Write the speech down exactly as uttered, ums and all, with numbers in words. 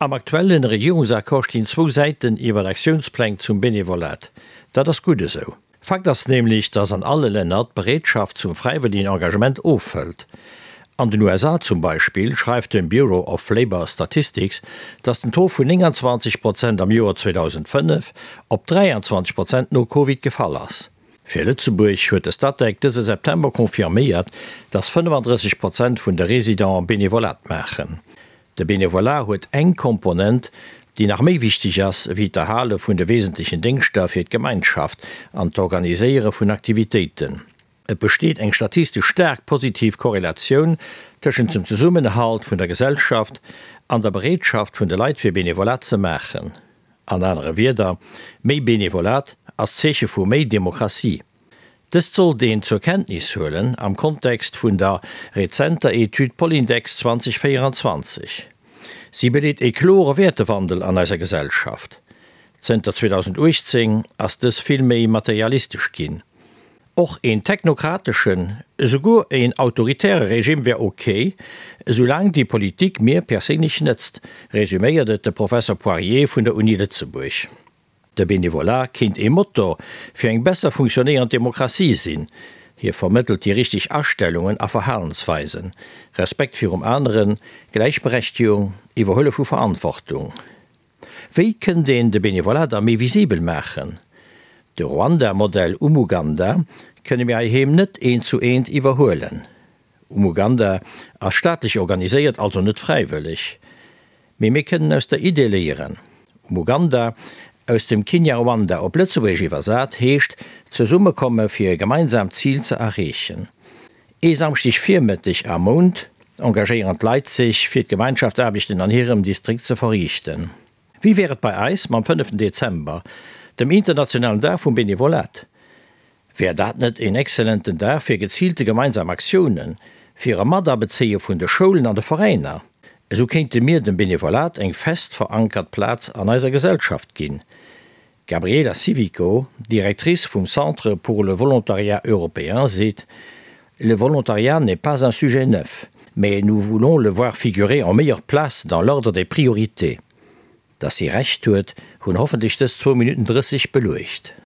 Am aktuellen Regierungsaccord stinn zwou Säiten iwwer Aktiounspläng zum Benevolat. Dat ass gutt esou. Fakt ass nämlech, dass an alle Länner d'Bereetschaft zum fräiwëllegen Engagement ofhëlt. An den U S A zum Beispill schreift den Bureau of Labor Statistics, dass den Taux vun nénganzwanzeg Prozent am Joer zweedausendfënnef op dräianzwanzeg Prozent no Covid gefall ass. Fir Lëtzebuerg huet de Statec dëse September confirméiert, dass fënnefandrësseg Prozent vun de Residenten Benevolat maachen. De Benevolat huet eng Komponent, déi nach méi wichteg ass wéi d'Erhale vun de wesentlechen Déngschter fir d'Gemeinschaft an d'Organiséiere vun Aktivitéiten. Et besteet eng statistesch staark positiv Korrelatioun tëschent dem Zesummenhalt vun der Gesellschaft an der Bereetschaft vun de Leit fir Benevolat ze maachen. An anere Wierder, méi Benevolat ass Zeeche vu méi Demokratie. Dëst sollt een zur Kenntnis huelen am Kontext vun der rezenter Etüd Polindex zweedausendvéieranzwanzeg. Si beleet e klore Wäertewandel an eiser Gesellschaft. Zënter zweedausenduechtzéng ass dës vill méi materialistesch ginn. Och een technokrateschen, esouguer een autoritäre Regime wär ok, esoulaang déi Politik mir perséinlech nëtzt, resuméiert et de Professer Poirier vun der Uni Lëtzebuerg. De Benevolat kéint ee Motor fir eng besser funktionéierend Demokratie sinn. Hie vermëttelt déi richteg Astellungen a Verhalensweisen, Respekt virum aneren, Gläichberechtegung, Iwwerhuele vu Verantwortung. Wéi kënnt een de Benevolat da méi visibel maachen? De Ruanda-Modell Umuganda kënne mir heiheem net eent zu eent iwwerhuelen. Umuganda ass staatlech organiséiert, also net fräiwëlleg. Mee mir kënnen aus der Idee léieren. Umuganda, aus dem Kinyarwanda op Lëtzebuergesch iwwersat, heescht zesummekomme fir e gemeinsaamt Zil ze erreechen. Ee Samschdeg Virmëtteg am Mount engagéieren d'Leit sech, fir d'Gemeinschaftsaarbechten an hirem Distrikt ze verriichten. Wéi wär et bei eis mam fënneften Dezember, dem internationalen Dag vum Benevolat? Wär dat net een exzellenten Dag fir geziilte gemeinsam Aktiounen, fir e Matabezéie vun de Schoulen an de Veräiner? Esou kéinte mir dem Benevolat eng fest verankert Plaz an eiser Gesellschaft ginn. D'Gabriela Civico, Directrice vum Centre pour le volontariat européen, seet, Le volontariat n'est pas un sujet neuf, mais nous voulons le voir figurer en meilleure place dans l'ordre des priorités. Dass si Recht huet, hunn hoffentlech dës zwou Minutten drësseg beluecht.